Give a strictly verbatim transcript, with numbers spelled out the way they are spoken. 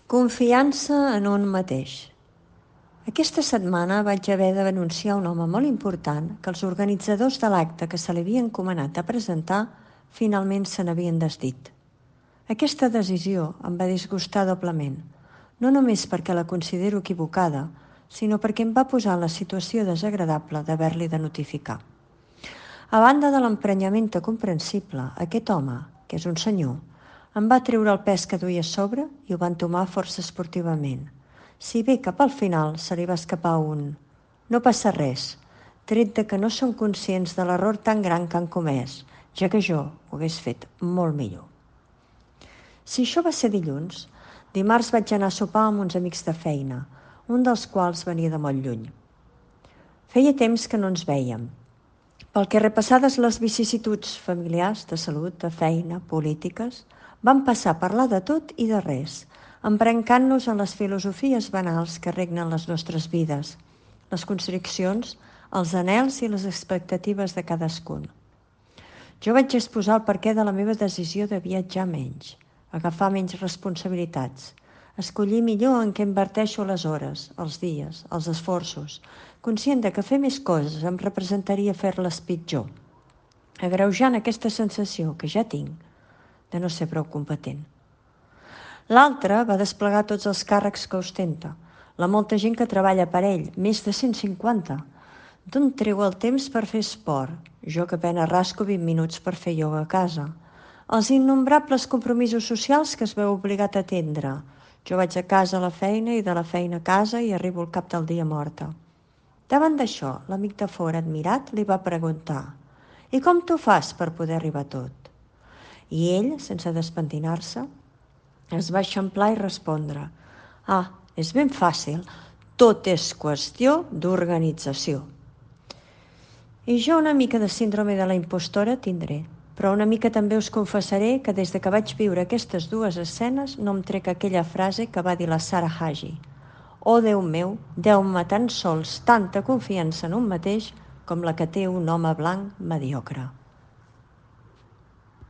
Confiança en un mateix. Aquesta setmana vaig haver de denunciar un home molt important que els organitzadors de l'acte que se li havia encomanat a presentar finalment se n'havien desdit. Aquesta decisió em va disgustar doblement, no només perquè la considero equivocada, sinó perquè em va posar en la situació desagradable d'haver-li de notificar. A banda de l'emprenyament comprensible, aquest home, que és un senyor, em va treure el pes que duia a sobre i ho va entomar força esportivament. Si bé cap al final se li va escapar un «no passa res», tret de que no són conscients de l'error tan gran que han comès, ja que jo ho hagués fet molt millor. Si això va ser dilluns, dimarts vaig anar a sopar amb uns amics de feina, un dels quals venia de molt lluny. Feia temps que no ens vèiem, pel que repassades les vicissituds familiars, de salut, de feina, polítiques, vam passar a parlar de tot i de res, embrancant-nos en les filosofies banals que regnen les nostres vides, les constriccions, els anhels i les expectatives de cadascun. Jo vaig exposar el perquè de la meva decisió de viatjar menys, agafar menys responsabilitats, escollir millor en què inverteixo les hores, els dies, els esforços, conscient de que fer més coses em representaria fer-les pitjor, agreujant aquesta sensació que ja tinc de no ser prou competent. L'altre va desplegar tots els càrrecs que ostenta, la molta gent que treballa per ell, més de cent cinquanta. D'on treu el temps per fer esport? Jo que apenas rasco vint minuts per fer ioga a casa. Els innombrables compromisos socials que es veu obligat a atendre. Jo vaig a casa a la feina i de la feina a casa i arribo al cap del dia morta. Davant d'això, l'amic de fora, admirat, li va preguntar «I com t'ho fas per poder arribar a tot?» I ell, sense despentinar-se, es va eixamplar i respondre «Ah, és ben fàcil, tot és qüestió d'organització». I jo una mica de síndrome de la impostora tindré, però una mica també us confessaré que des de que vaig viure aquestes dues escenes no em trec aquella frase que va dir la Sarah Hagi. «Oh, Déu meu, deu-me tan sols tanta confiança en un mateix com la que té un home blanc mediocre».